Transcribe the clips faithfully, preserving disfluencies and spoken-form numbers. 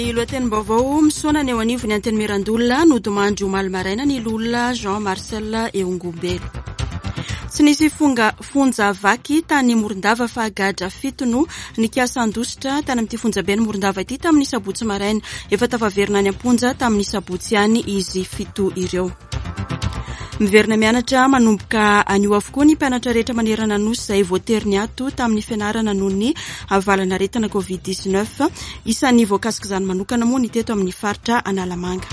Ny lohatenim-baovao misaona ny eo anivon'ny Antenimierandoholona nodimandry omaly maraina ny loholona Jean Marcel Eongombelo. Tsy nisy fonga fonja vaky tany Morondava fa gadra fito no nikasa handositra tany amin'ity fonjaben'i Morondava ity tamin'ny sabotsy maraina. Efa tafaverina any am-ponja tamin'ny sabotsy ihany izy fito ireo. Miverina mianatra manomboka anio avokoa ny mpianatra rehetra manerana ny nosy izay voatery niato tamin'ny fianarana noho ny valanaretina covid dix-neuf. Isan'ny voakasik'izany manokana moa ny teto amin'ny faritra Analamanga.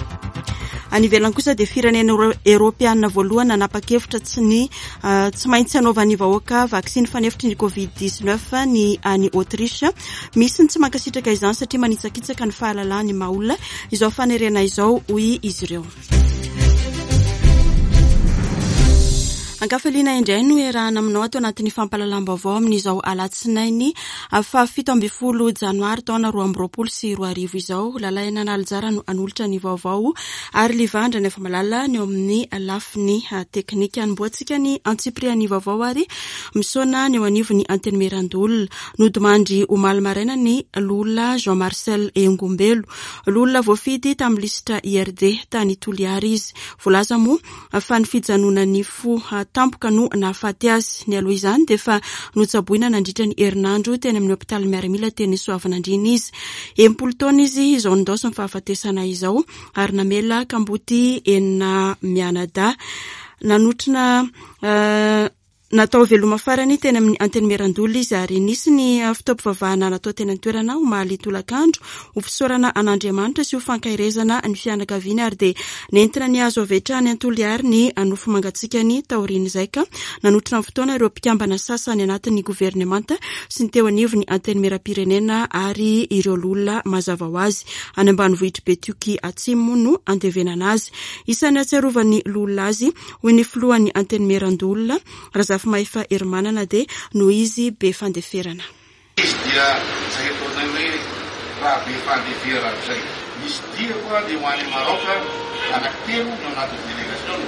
Any ivelany kosa dia firenena eoropeana voalohany nanapa-kevitra tsy ny tsy maintsy hanaovan'ny vahoaka vaksiny fanefitry ny covid dix-neuf ny any Autriche. Misy ny tsy mankasitraka izany satria manitsakitsaka ny fahalalahany maha olona izao fanerena izao, hoy izy ireo. Ankafaliana indray no iarahana aminao ato anatin'ny fampahalalam-baovao amin'izao alatsinainy fahafito ambin'ny folo janoary taona roa amby roapolo sy roa arivo izao. Lalaina Analijara no hanolotra ny vaovao ary Livandra nefa malala ny eo amin'ny lafiny teknika. Anombohantsika ny antsipirian'ny vaovao ary misaona ny eo anivon'ny Antenimierandoholona. Nodimandry omaly maraina ny loholona Jean Marcel Engombelo. Loholona voafidy tamin'ny lisitra I R D tany Toliara izy. Voalaza moa fa ny fijanonan'ny fo tampoka no nahafaty azy. Nialoha izany dia efa notsaboina nandritra ny herinandro teny amin'ny hopitaly miaramila teny Soavinandriana izy. Enimpolo taona izy izao nindaosin'ny fahafatesana izao ary namela kamboty enina mianadahy. Nanotrona, eh, natao veloma farany teny amin'ny Antenimierandoholona izy ary nisy ny fotoam-pivavahana natao teny an-toerana omaly tolakandro ho fisaorana an'Andriamanitra sy ho fankaherezana ny fianakaviany ary dia nentina ny hazo avy hatrany Antoliary ny nofo mangatsikany taorian'izay ka nanotrona ny fotoana ireo mpikambana sasany anatin'ny governemanta sy ny teo anivon'ny Antenimieram-pirenena ary ireo loholona mazava ho azy. Any ambanivohitr'i Betioky Atsimo moa no andevenana azy. Isan'ny ahatsiarovan'ny loholona azy hoy ny filohan'ny Antenimierandoholona Razafimahefa Herimanana dia noho izy be fandeferana. Izy dia izay ataonay hoe raha be fandeferana izay. Misy dia koa dia ho any Maroka anankitelo no anatin'ny délégation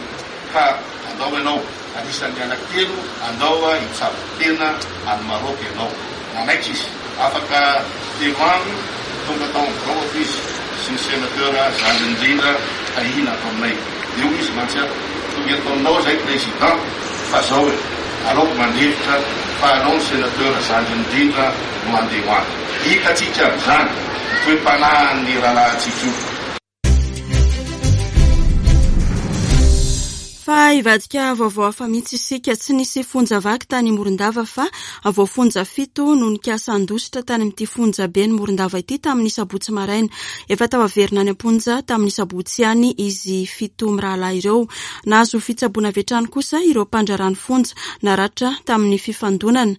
ka andao ianao anisan'ny anankitelo andao hitsabo tena any Maroka ianao. Nanaiky izy afaka telo andro tonga tao amin'ny biraoko izy sy ny sénateur zandriny indrindra Tahina ato aminay. Eo izy mantsy aho tonga eto aminao izay président fa zao e aleoko mandefitra fa anao ny sénateur zandriny indrindra no andeha ho any. Hitantsika amin'izany ny toe-panahin'ny rahalahintsika io. Fa hivadika vaovao hafa mihitsy isika. Tsy nisy fonja vaky tany Morondava fa voafonja fito no nikasa handositra tany amin'ity fonjaben'i Morondava ity tamin'ny sabotsy maraina. Efa tafaverina any am-ponja tamin'ny sabotsy ihany izy fito mirahalahy ireo. Nahazo fitsaboana avy hatrany kosa ireo mpandraharaha ny fonja naratra tamin'ny fifandonana,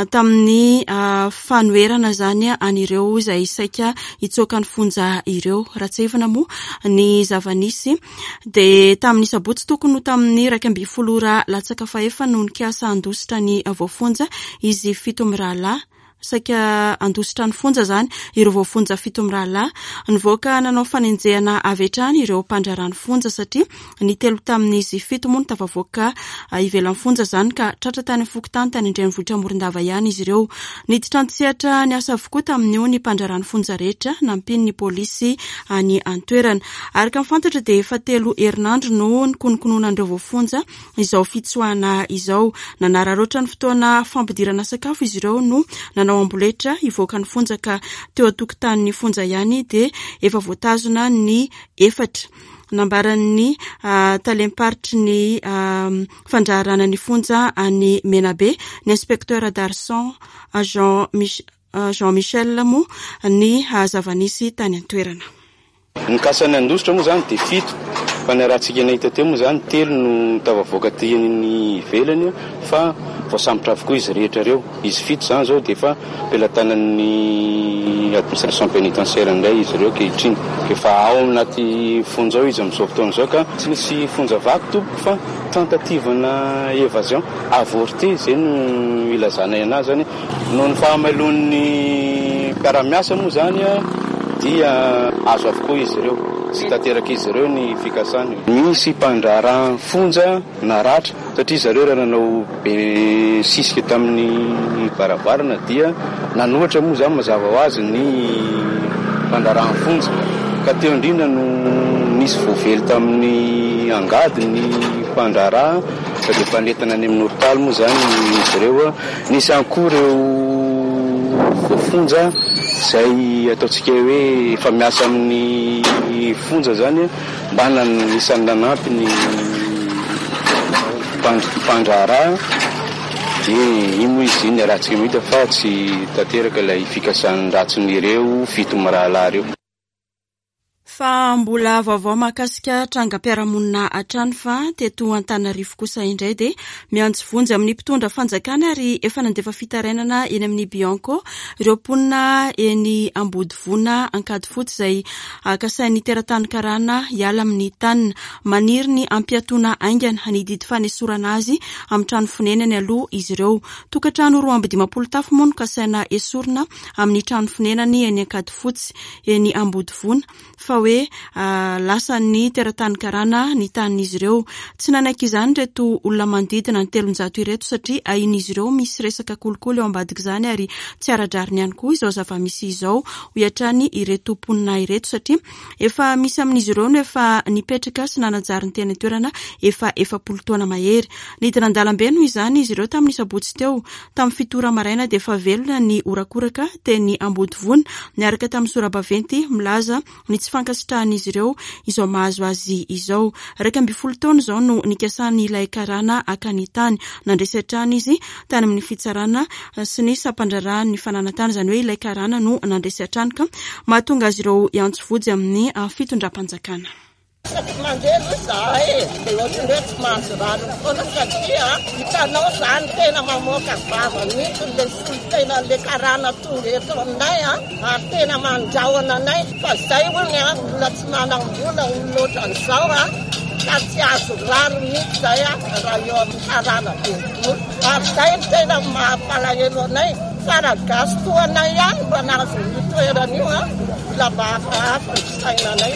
tamin'ny, ah, fanoherana izany an'ireo izay saika hitsoaka ny fonja ireo. Raha tsiahivina moa ny zava-nisy dia tamin'ny sabotsy tokony ho tamin'ny iraika ambin'ny folo ora latsaka fahefa no nikasa handositra ny voafonja izy fito mirahalahy. Saika handositra ny fonja izany ireo voafonja fito mirahalahy. Nivoaka nanao fanenjehana avy hatrany ireo mpandraharaha ny fonja satria ny telo tamin'izy fito moa no tafavoaka ivelan'ny fonja izany ka tratra tany amin'ny fokontany tany an-drenivohitra Morondava ihany izy ireo. Niditra an-tsehatra ny asa avokoa tamin'io ny mpandraharaha ny fonja rehetra nampian'ny polisy any an-toerana. Araka ny fantatra dia efa telo herinandro no nikonokononan'ireo voafonja izao fitsoahana izao. Nanararaotra ny fotoana fampidirana sakafo izy ireo no nanao amboletra hivoaka ny fonja ka teo an-tokotanin'ny fonja ihany dia efa voatazona ny efatra. Nambaran'ny, ah, talem-paritry ny, ah, fandraharahana ny fonja any Menabe, ny inspecteur Darson Jean Mich-, Jean Michel moa ny zava-nisy tany an-toerana. Ny kasany handositra moa izany dia fito, fa ny rahantsika nahita teo moa izany telo no tafavoaka teny ivelany fa voasambotra avokoa izy rehetra ireo. Izy fito izany izao dia efa pelatanan'ny administration pénitentiaire indray izy ireo ankehitriny. Efa ao anaty fonja ao izy amin'izao fotoana izao ka tsy nisy fonja vaky tompoko fa tentative-na évasion avortée izay no ilazanay anazy izany. Noho ny fahamailoan'ny mpiara-miasa moa izany dia azo avokoa izy ireo, tsy tanteraka izy ireo ny fikasany. Misy mpandraharaha fonja naratra satria zareo raha nanao be sisika tamin'ny varavarana dia nanohatra moa izany mazava ho azy ny mpandraharahan'ny fonja. Ka teo indrindra no nisy voavely tamin'ny angady ny mpandraharaha, ka dia efa nentina any amin'ny hôpitaly moa izany izy ireo. Nisy ihany koa ireo voafonja izay ataontsika hoe efa miasa amin'ny fonja izany, mba anisan'ny nanampy ny mpandraharaha. Dia iny moa izy iny ratsy mahita fa tsy tanteraka ilay fikasan'ny ratsin'ireo fito mirahalahy ireo. Fa mbola vaovao mahakasika trangam-piarahamonina hatrany, fa teto Antananarivo kosa indray dia miantso vonjy amin'ny mpitondra fanjakana ary efa nandefa fitarainana eny amin'ny Bianco ireo mponina eny Ambodivona Ankadifotsy izay kasain'ny teratany karana hiala amin'ny tanina. Maniry ny hampiatoana haingana ny didy fanesorana azy amin'ny trano fonenany aloha izy ireo. Tokantrano roa amby dimampolo tafo moa no kasaina esorina amin'ny trano fonenany eny Ankadifotsy eny Ambodivona, fa hoe lasan'ny teratany karana ny tanin'izy ireo. Tsy nanaiky izany ireto olona manodidina ny telonjato ireto satria ahian'izy ireo misy resaka kolikoly ao ambadik'izany ary tsy ara-drariny ihany koa izao zava-misy izao, hoy hatrany ireto mponina ireto, satria efa misy amin'izy ireo no efa nipetraka sy nanajary ny teny an-toerana efa efapolo taona mahery. Nidina an-dalambe noho izany izy ireo tamin'ny sabotsy teo. Tamin'ny fito ora maraina dia efa velona ny horakoraka teny Ambodivona niaraka tamin'ny sora-baventy milaza ny tsy fankasitrahan'izy ireo izao mahazo azy izao. Iraika ambin'ny folo taona izao no nikasany ilay karana haka ny tany. Nandresy hatrany izy tany amin'ny fitsarana sy ny sampandraharahan'ny fananan-tany, izany hoe ilay karana no nandresy hatrany, ka mahatonga azy ireo hiantso vonjy amin'ny fitondram-panjakana. Isaky mandeha aloha izahay e, dia ohatran'ny hoe tsy mahazo rano foana satria hitanao izany tena mamoaka vava mihitsy ilay solontena ilay karana tonga eto aminay a, ary tena mandrahona anay fa izay hono a, olona tsy manam-bola olona ohatran'izao a, ka tsy azo rano mihitsy izay a, raha eo amin'ny karana boribory. Ary izay no tena mampalahelo anay, fa raha gasy toa anay ihany mba nahazo an'io toerana io a, mbola mba hafahafa ny fisainanay.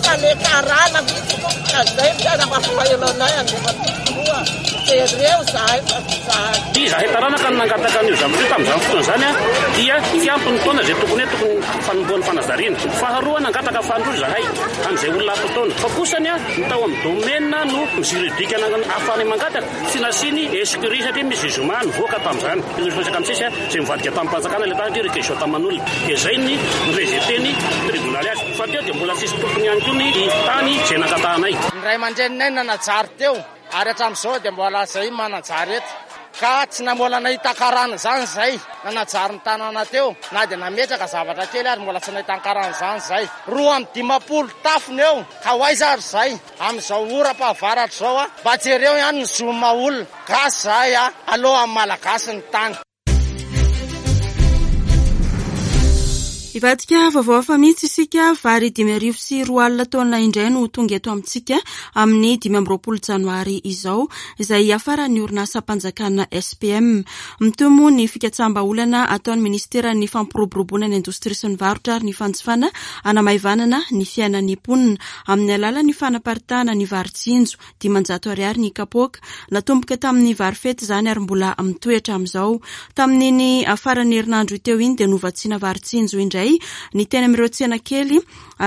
Fa le karana mihitsy ka izay no tena mampalahelo anay, andefa tokoa jereo zahay fa tsy zahay. Izahay taranaka no nangataka an'io zavatra io tamin'izany fotoana izany a, dia tsy ampy ny taona izay tokony hoe tokony fanombohan'ny fanajariana. Faharoa, nangataka fahandroa izahay amin'izay olona ampy taona. Fa kosany a, ny tao amin'ny domaine no juridique ahafahana mangataka, tsy nasiany escrit satria misy zoma nivoaka tamin'izany. Nisy resaka misesy a, izay mivadika tamin'ny mpanjakana ilay tany satria réquisition taman'olona. Dia izay ny rejeté-ny tribonaly azy. Fa teo dia mbola tsisy tompony ihany koa ny tany izay nangatahanay. Ny ray aman-dreninay nanajary teo, ary hatramin'izao dia mbola izay manajary eto. Ka tsy nambola nahita karana izany izay, nanajary ny tanàna teo, na dia nametraka zavatra kely ary mbola tsy nahita karana izany izay. Roa amby dimampolo tafony eo, ka ho aiza ary izay? Amin'izao oram-pahavaratra izao a, mba jereo ihany ny zoma olona. Gasy izahay a, aloha amin'ny Malagasy ny tany. Hivadika vaovao hafa mihitsy isika. Vary dimy arivo sy roa alina taonina indray no tonga eto amintsika amin'ny dimy amby roapolo janoary izao, izay hiafaran'ny orinasam-panjakana S P M. Mitohy moa ny fikatsaham-bahaolana ataon'ny ministeran'ny fampiroboroboana ny indostria sy ny varotra ary ny fanjifana hanamaivanana ny fiainan'ny mponina amin'ny alalan'ny fanaparitahana ny vary tsinjo dimanjato ariary ny kapoaka. Natomboka tamin'ny vary fety izany ary mbola mitohy hatramin'izao. Tamin'iny faran'ny herinandro teo iny dia novatsiana vary tsinjo indray ny teny amin'ireo tsena kely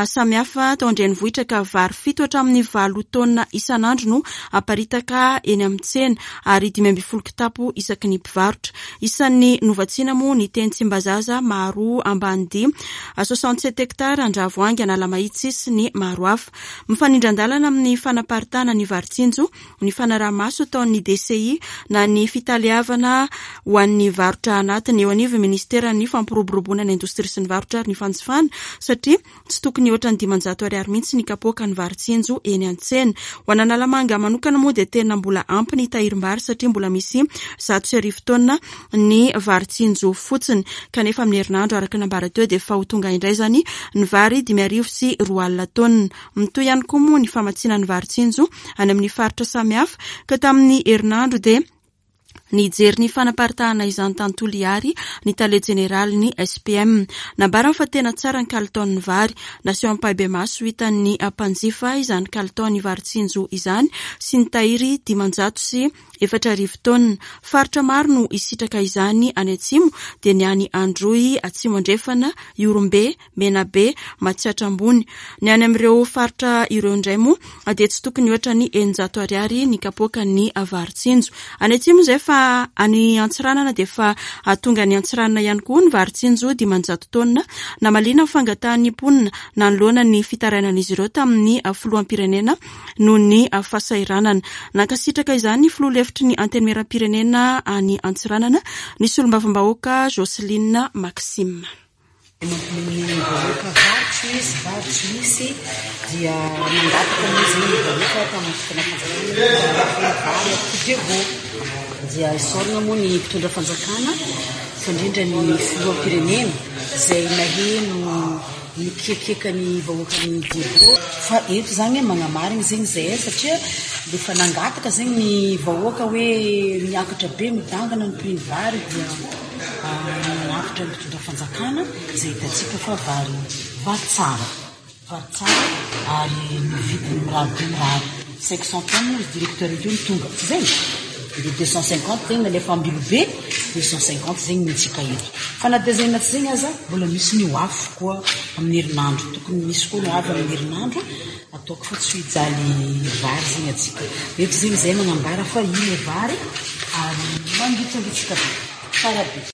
samihafa tao an-drenivohitra, ka vary fito hatramin'ny valo taonina isan'andro no aparitaka eny amin'ny tsena ary dimy ambin'ny folo kitapo isaky ny mpivarotra. Isan'ny novatsiana moa ny teny Tsimbazaza, Maharoa, Ambanidia, soixante-sept hectares, Andravoahangy, Analamahitsy sy ny maro hafa. Mifanindran-dalana amin'ny fanaparitahana ny vary tsinjo ny fanaraha-maso ataon'ny D C I na ny fitaleavana ho an'ny varotra anatiny eo anivon'ny ministeran'ny fampiroboroboana ny indostria sy ny varotra ary ny fanjifana, satria tsy tokony hihoatra ny dimanjato ariary mihitsy ny kapoaka ny vary tsinjo eny an-tsena. Ho an'Analamanga manokana moa dia tena mbola ampy ny tahirim-bary satria mbola misy zato sy arivo taonina ny vary tsinjo fotsiny, kanefa amin'ny herinandro araka ny nambara teo dia efa ho tonga indray izany ny vary dimy arivo sy roa alina taonina. Mitohy ihany koa moa ny famatsiana ny vary tsinjo any amin'ny faritra samihafa, ka tamin'ny herinandro dia Nijery ny fanaparitahana izany tany Toliary ny tale jeneralin'ny S P M. Nambarany fa tena tsara ny kalitaon'ny vary. Naseho ampahibemaso hitan'ny mpanjifa izany kalitaon'ny vary tsinjo izany sy ny tahiry dimanjato sy efatra arivo taonina. Faritra maro no hisitraka izany any atsimo, dia ny any Androy, Atsimo Andrefana, Ihorombe, Menabe, Matsiatra Ambony. Ny any amin'ireo faritra ireo indray moa dia tsy tokony hoatra ny eninjato ariary ny kapoakan'ny vary tsinjo. Any atsimo izay fa any Antsiranana dia efa tonga any Antsiranana ihany koa ny vary tsinjo dimanjato taonina. Namaliana ny fangatahan'ny mponina nanoloana ny fitarainan'izy ireo tamin'ny filoham-pirenena noho ny fahasahiranana. Nankasitraka izany ny filoha lefitry ny Antenimierampirenena any Antsiranana, ny solombavambahoaka Jocelyne Maxime. Ny vahoaka vary tsy misy, vary tsy misy dia nangataka izy ny vahoaka tamin'ny fotoana fanjakana vary Diego. Dia isaorana moa ny mpitondra fanjakana fa indrindra ny filoham-pirenena izay naheno ny kiakiaka ny vahoakan'ny Diego. Fa eto izany magnamarina zegny zay satria efa nangataka zegny ny vahoaka hoe miakatra be midangana ny prix vary dia nanafitra ny mpitondra fanjakana izay hitantsika fa vary vary tsara, vary tsara ary ny vidiny mirary be mirary. cinq cent tonnes izy directeur io no tonga, tsy zay? Dia deux cent cinquante zegny nalefa Ambilobe, deux cent cinquante zegny ny antsika eto. Fa na dia zegny na tsy zegny aza mbola misy ny ho avy koa amin'ny herinandro, tokony misy koa ny ho avy amin'ny herinandro. Ataoko fa tsy hijaly vary zegny antsika. Eto zegny zay magnambara fa iny vary ary mangitsangitsika be, tsara be.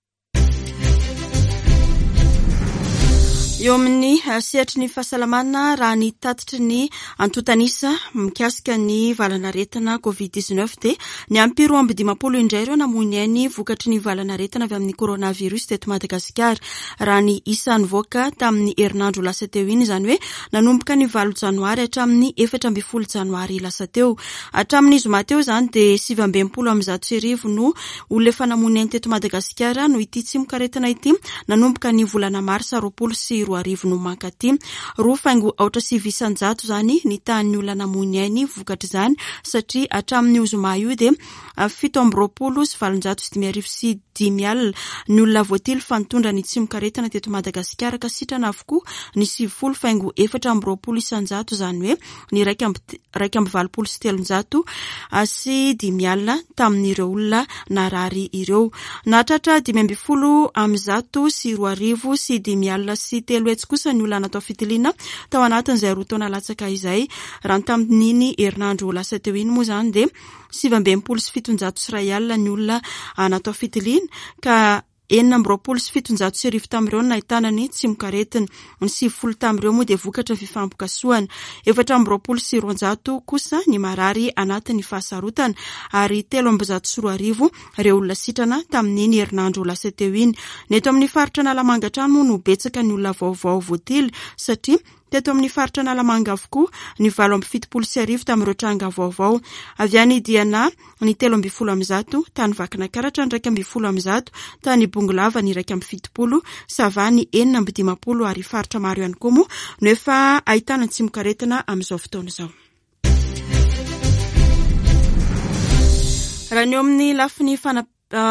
Eo amin'ny sehatry ny fahasalamana, raha ny tatitry ny antontanisa mikasika ny valanaretina covid dix-neuf dia niampy roa amby dimampolo indray ireo namoy ny ainy vokatry ny valanaretina avy amin'ny coronavirus teto Madagasikara. Raha ny isa nivoaka tamin'ny herinandro lasa teo iny, izany hoe nanomboka ny valo janoary hatramin'ny efatra ambin'ny folo janoary lasa teo. Hatramin'ny zoma teo izany dia sivy amby enimpolo amby zato sy arivo no olona efa namoy ny ainy teto Madagasikara noho ity tsimokaretina ity nanomboka ny volana marsa roapolo sy roa arivo no mankaty. Roa faingo aotra sivy isan-jato izany ny tahan'ny olona namoy ny ainy vokatr'izany, satria hatramin'ny zoma io dia fito amby roapolo sy valonjato sy dimy arivo sy dimy alina ny olona voatily fa nitondra ny tsimokaretina teto Madagasikara, ka sitrana avokoa ny sivifolo faingo efatra amby roapolo isan-jato, izany hoe ny iraika amby, iraika amby valopolo sy telonjato sy dimy alina tamin'ireo olona narary ireo. Nahatratra dimy ambin'ny folo amby zato sy roa arivo sy dimy alina sy telo hetsy kosa ny olona natao fitiliana tao anatin'izay roa taona latsaka izay. Raha ny tamin'iny herinandro lasa teo iny moa izany dia sivy amby enimpolo sy fitonjato sy iray alina ny olona natao fitiliana, ka enina amby roapolo sy fitonjato sy arivo tamin'ireo no nahitana ny tsimokaretina. Ny sivifolo tamin'ireo moa dia vokatra fifampikasohana. Efatra amby roapolo sy roanjato kosa ny marary anatin'ny fahasarotana, ary telo amby zato sy roa arivo ireo olona sitrana tamin'iny herinandro lasa teo iny. Ny eto amin'ny faritra Analamanga hatrany moa no betsaka ny olona vaovao voatily, satria teto amin'ny faritra Analamanga avokoa ny valo amby fitopolo sy arivo tamin'ireo tranga vaovao. Avy any Diana ny telo ambin'ny folo amby zato, tany Vakinakaratra ny iraika ambin'ny folo amby zato, tany Bongolava ny iraika amby fitopolo, Sava ny enina amby dimampolo, ary faritra maro ihany koa moa no efa ahitana ny tsimokaretina amin'izao fotoana izao. Raha ny eo amin'ny lafiny fana-,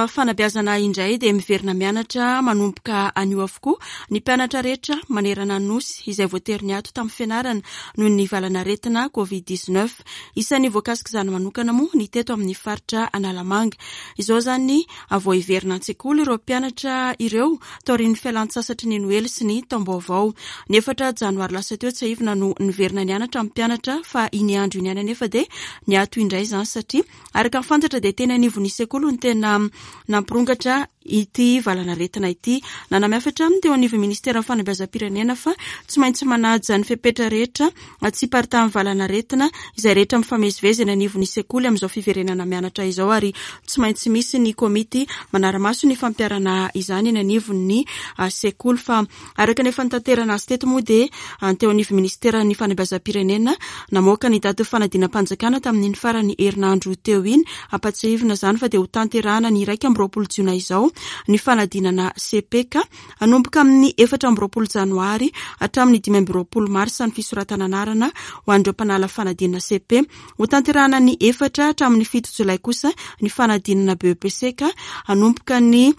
fanabeazana indray dia miverina mianatra manomboka anio avokoa ny mpianatra rehetra manerana ny nosy izay voatery niato tamin'ny fianarana noho ny valanaretina covid dix-neuf. Isan'ny voakasika izany manokana moa ny teto amin'ny faritra Analamanga. Izao izany vao hiverina an-tsekoly ireo mpianatra ireo taorian'ny fialan-tsasatry ny Noely sy ny taom-baovao. Ny efatra janoary lasa teo tsiahivina no niverina nianatra ny mpianatra, fa iny andro iny ihany anefa dia niato indray izany, satria araka ny fantatra dia teny anivon'ny sekoly no tena nampirongatra ity valanaretina ity. Nanamafy hatrany teo anivon'ny ministeran'ny fanabeazam-pirenena fa tsy maintsy manaja ny fepetra rehetra tsy hiparitahan'ny valanaretina izay rehetra mifamezivezy eny anivon'ny sekoly amin'izao fiverenana mianatra izao, ary tsy maintsy misy ny komity manara-maso ny fampiharana izany eny anivon'ny sekoly. Fa araka ny efa nitaterana azy teto moa dia teo anivon'ny ministeran'ny fanabeazam-pirenena namoaka ny daty fanadinam-panjakana tamin'iny farany herinandro teo iny. Ampatsiahivina izany fa dia ho tanterahana ny iraika amby roapolo jona izao ny fanadinana C P ka hanomboka amin'ny efatra amby roapolo janoary hatramin'ny dimy amby roapolo marsa ny fisoratana anarana ho an'ireo mpanala fanadinana C P. Hotanterahana ny efatra hatramin'ny fito jolay kosa ny fanadinana B E P C ka hanomboka ny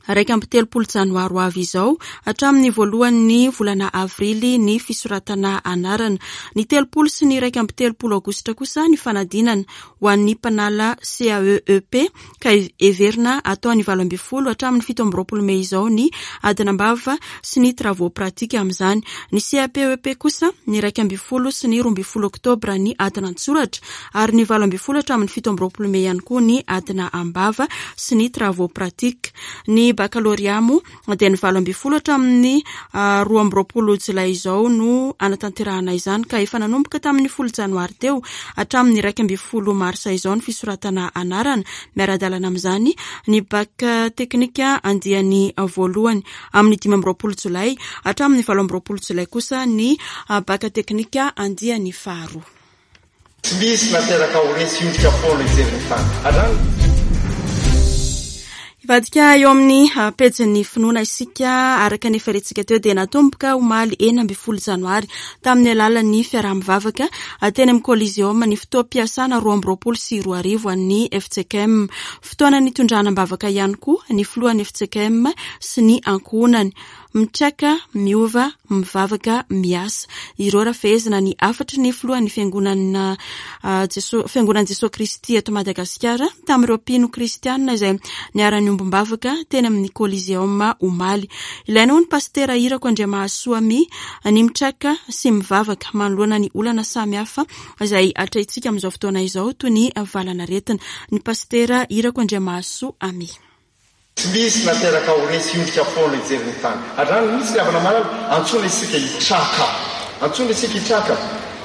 iraika amby telopolo janoary ho avy izao hatramin'ny voalohan'ny volana avrily ny fisoratana anarana. Ny telopolo sy ny iraika amby telopolo aogositra kosa ny fanadinana ho an'ny mpanala C A E E P ka heverina atao ny valo ambin'ny folo hatramin'ny fito amby roapolo mey izao ny adina am-bava sy ny travaux pratiques amin'izany. Ny C A P E P kosa ny iraika ambin'ny folo sy ny roa ambin'ny folo oktobra ny adina an-tsoratra ary ny valo ambin'ny folo hatramin'ny fito amby roapolo mey ihany koa ny adina am-bava sy ny travaux pratiques. Ny bakalorea moa dia ny valo ambin'ny folo hatramin'ny roa amby roapolo jolay izao no anatanterahana izany ka efa nanomboka tamin'ny folo janoary teo hatramin'ny iraika ambin'ny folo marsa izao ny fisoratana anarana. Miara-dalana amin'izany ny bac teknika andiany voalohany amin'ny dimy amby roapolo jolay hatramin'ny valo amby roapolo jolay kosa ny bac teknika andiany faharoa. Tsy misy nateraka ho resy ondrika foana hijery ny tany. Hatrany. Hivadika eo amin'ny pejin'ny finoana isika. Araka ny efa rentsika teo dia natomboka omaly enina ambin'ny folo janoary tamin'ny alalan'ny fiaraha-mivavaka teny amin'ny Coliseum ny fotoam-piasana roa amby roapolo sy roa arivo an'ny F C K M. Fotoana nitondrana am-bavaka ihany koa ny filohan'ny F C K M sy ny ankohonany. Mitraka, miova, mivavaka, miasa. Ireo raha fehezina ny hafatry ny filohan'ny fiangonana, ah, Jeso-, fiangonan'i Jesoa Kristy eto Madagasikara tamin'ireo mpino kristianina izay niara-niombom-bavaka teny amin'ny Coliseum omaly. Ilaina ho ny pastera Irako Andriamahasoa Mi ny mitraka sy mivavaka manoloana ny olana samihafa izay atrehintsika amin'izao fotoana izao toy ny valanaretina. Ny pastera Irako Andriamahasoa Ami. Tsy misy nateraka ho resy ondrika foana hijery ny tany. Hatrany misy ny havana malala, antsoina isika hitraka. Antsoina isika hitraka.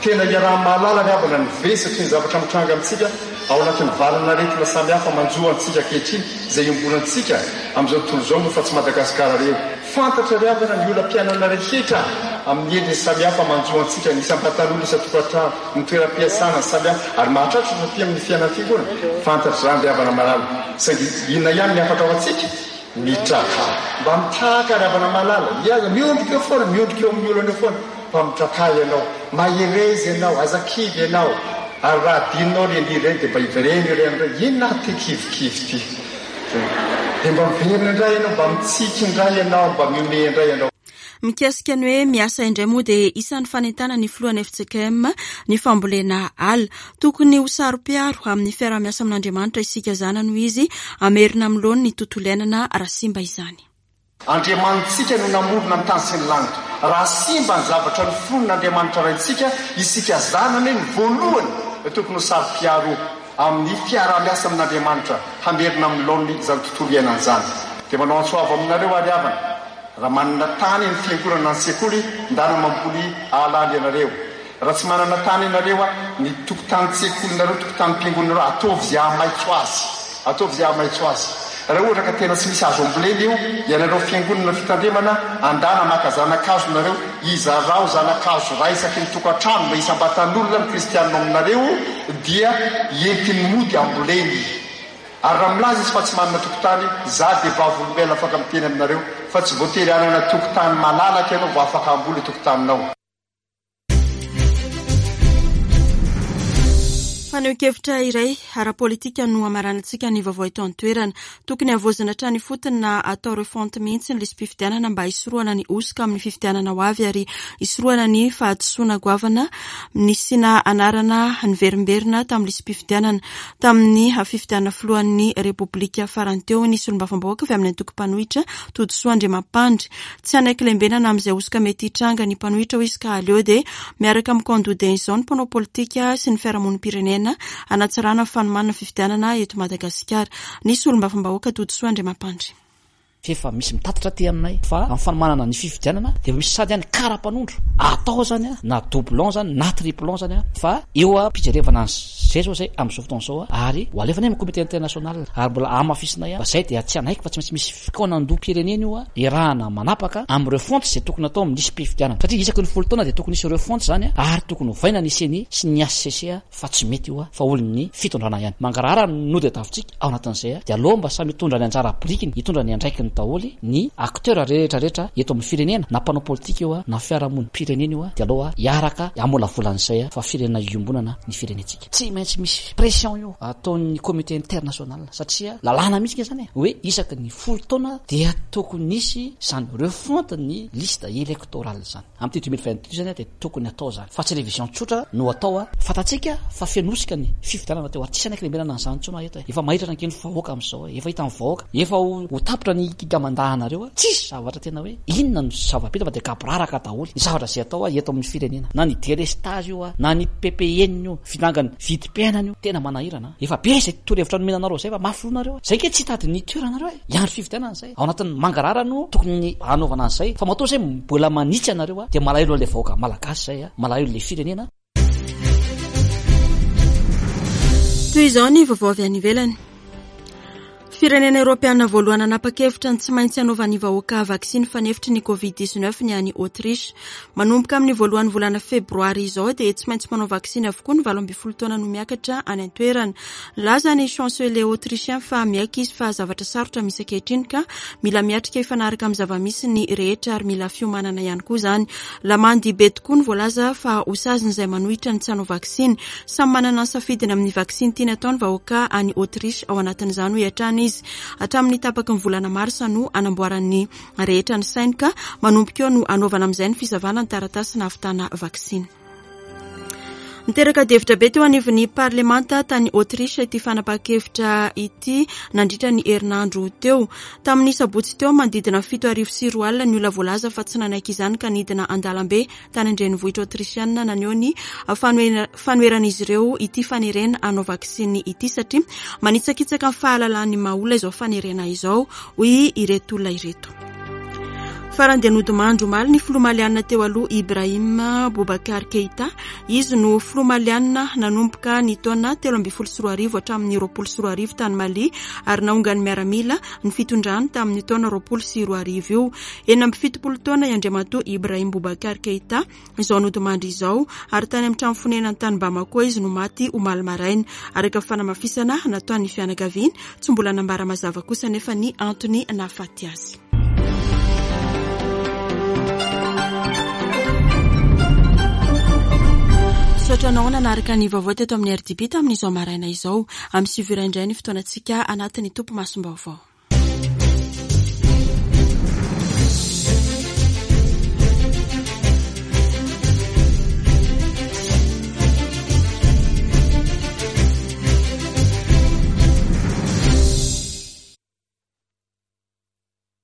Tena iaraha-mahalala ny havana ny vesatry ny zavatra mitranga amintsika ao anatin'ny valanaretina samihafa manjo antsika ankehitriny izay iombonantsika amin'izao tontolo izao moa fa tsy Madagasikara irery. Fantatra ry havana ny olam-piainana rehetra amin'ny endriny samihafa manjo antsika, ny isam-patan'olona, isan-tokantrano, ny toeram-piasana samihafa ary mahatratra fa amin'ny fiainana fiangonana. Fantatra izany ry havana malala. Saingy inona ihany ny hafatra ho antsika? Mitraka. Mba mitraka ry havana malala. Miaza, miondrika eo foana, miondrika eo amin'ny olana eo foana. Mba mitraka ianao. Mahereza ianao, aza kivy ianao. Ary raha adinonao ireny ireny dia mba hivereno ireny indray. Inona ary ty kivikivy ty? Dia mba miverina indray ianao, mba mitsiky indray ianao, mba mihomehy indray ianao. Mikasika ny hoe miasa indray moa dia isan'ny fanentana ny filohan'ny F C K M ny fambolena ala. Tokony ho saro-piaro amin'ny fiaraha-miasa amin'Andriamanitra isika zanany hoy izy, hamerina amin'ny laoniny ny tontolo iainana raha simba izany. Andriamanitsika no namorona ny tany sy ny lanitra. Raha simba ny zavatra noforon'Andriamanitra Raintsika, isika zanany ny voalohany tokony ho saro-piaro amin'ny fiaraha-miasa amin'Andriamanitra hamerina amin'ny laoniny izany tontolo iainana izany. Dia manao antso avo aminareo ary havana, raha manana tany ny fiangonana ny sekoly, ndana mamboly ala ianareo. Raha tsy manana tany ianareo, ny tokotanin-tsekolinareo, tokotanim-piangonanareo, ataovy izay hahamaitso azy. Ataovy izay hahamaitso azy. Raha ohatra ka tena tsy misy azo ambolena io, ianareo fiangonana fitandremana, andana maka zanakazo nareo, izarao zanakazo iray isaky ny tokantrano na isam-batan'olona ny kristianina aminareo, dia entiny mody amboleny. Ary raha milaza izy fa tsy manana tokotany, za dia vavolombelona afaka miteny aminareo fa tsy voatery hanana tokotany malalaka ianao vao afaka hamboly tokotaninao. Fanehoan-kevitra iray ara-politika no hamaranantsika ny vaovao eto an-toerana. Tokony havaozina hatrany ifotony na atao refonte mihitsy ny lisi-pifidianana mba hisorohana ny hosoka amin'ny fifidianana ho avy ary hisorohana ny fahadisoana goavana nisiana anarana niverimberina tamin'ny lisi-pifidianana. Tamin'ny fifidianana filohan'ny Repoblika farany teo ny solombavambahoaka avy amin'ny antoko mpanohitra Todisoa Andriamampandry. Tsy hanaiky lembenana amin'izay hosoka mety hitranga ny mpanohitra hoy izy ka aleo dia miaraka amin'ny kandida izao ny mpanao politika sy ny fiarahamonim-pirenena hanatsarana ny fanomanana fifidianana eto Madagasikara. Ny solombavambahoaka Todisoa Andriamampandry. Fefa misy mitatitra aty aminay fa amin'ny fanomanana ny fifidianana dia misy sady any kara-panondro atao zany a, na doublon zany na triplon zany a, fa eo a pijerevana zay zao zay amin'izao fotoana izao a, ary ho alefana amin'ny comité international ary mbola amafisinay a fa zay dia tsy anaiky fa tsy maintsy misy fikaonandoham-pirenena io a erahana manapaka amin'ny refonte zay tokony atao amin'ny lisi-pifidianana, satria isaky ny folo taona dia tokony hisy refonte zany a, ary tokony hovaina ny CENI sy ny H C C a, fa tsy mety io a, fa olon'ny fitondrana ihany mangarahara no dia tavitsika ao anatin'izay a, dia aloha mba samy hitondra ny anjara birikiny, hitondra ny andraikiny daholo ny acteur rehetra rehetra eto amin'ny firenena, na mpanao politika io a, na fiarahamonim-pirenena io a, dia aloha hiaraka hamolavolan'izay a, fa firenena iombonana ny firenentsika. Tsy maintsy misy pression io ataon'ny comité international, satria lalàna mihitsy zany e, hoe isaky ny folo taona dia tokony hisy zany refonte ny liste électorale zany. Amin'ity deux mille vingt-deux zany dia tokony atao zany, fa tsy révision tsotra no atao a. Fantatsika fa fenosika ny fifidianana teo, ary tsisy anaiky lembenana an'izany intsony eto e. Efa mahiratra ny vahoaka amin'izao e, efa hitan'ny vahoaka, efa ho tapitra ny kikamandahana-nareo a. Tsisy zavatra tena hoe inona no zava-bita fa dia gaboraraka daholo ny zavatra izay atao a eto amin'ny firenena, na ny délestage io a, na ny P P N io, fitangany vidim-piainana io, tena manahirana. Efa be izay torohevitra nomena anareo izay fa mafy loha nareo. Zay ke tsy hitady ny toeranareo e, hiandry fifidianana izay. Ao anatin'ny mangarahara no tokony hanaovana an'izay, fa matoa izay mbola manitsy anareo a, dia malahelo an'ilay vahoaka malagasy izay a, malahelo ilay firenena. Toy izao ny vaovao avy any ivelany. Firenena eoropeana voalohany nanapa-kevitra ny tsy maintsy hanaovan'ny vahoaka vaksiny fanefitry ny covid dix-neuf ny any Autriche. Manomboka amin'ny voalohany volana febroary izao dia tsy maintsy manao vaksiny avokoa ny valo ambin'ny folo taona no miakatra any an-toerana. Nilaza ny chancelier autrichien fa miaiky izy fa zavatra sarotra misy ankehitriny ka mila miatrika hifanaraka amin'ny zava-misy ny rehetra ary mila fiomanana ihany koa izany. Lamandy be tokoa ny voalaza fa ho saziny izay manohitra ny tsy hanao vaksiny. Samy manana ny safidiny amin'ny vaksiny tiany atao ny vahoaka any Autriche ao anatin'izany hoy hatrany izy. Hatramin'ny tapaky ny volana marsa no anamboaran'ny rehetra ny sainy ka manomboka eo no anaovana amin'izay ny fisavana ny taratasy nahavitana vaksiny. Niteraka adihevitra be teo anivon'ny parlemanta tany Autriche ity fanapahan-kevitra ity nandritra ny herinandro teo. Tamin'ny sabotsy teo manodidina fito arivo sy roa alina ny olona voalaza fa tsy nanaiky izany ka nidina an-dalambe tany an-drenivohitra autrichiana naneho ny fanoheran'izy ireo ity fanerena hanao vaksiny ity satria manitsakitsaka ny fahalalan'ny maha olona izao fanerena izao, hoy ireto olona ireto. Farany dia nodimandry omaly ny filoha malianina teo aloha Ibrahim Boubacar Keïta. Izy no filoha malianina nanomboka ny taona telo ambin'ny folo sy roa arivo hatramin'ny roapolo sy roa arivo tany Mali ary naongan'ny miaramila ny fitondrany tamin'ny taona roapolo sy roa arivo io. Enina amby fitopolo taona i Andriamatoa Ibrahim Boubacar Keïta izao nodimandry izao ary tany amin'ny trano fonenany tany Bamako izy no maty omaly maraina. Araka ny fanamafisana nataon'ny fianakaviany, tsy mbola nambara mazava kosa nefa ny antony nahafaty azy. Misaotra anao nanaraka ny vaovao teto amin'ny R D B tamin'izao maraina izao. Amin'ny sivy ora indray ny fotoanantsika anatin'ny tompo masom-baovao.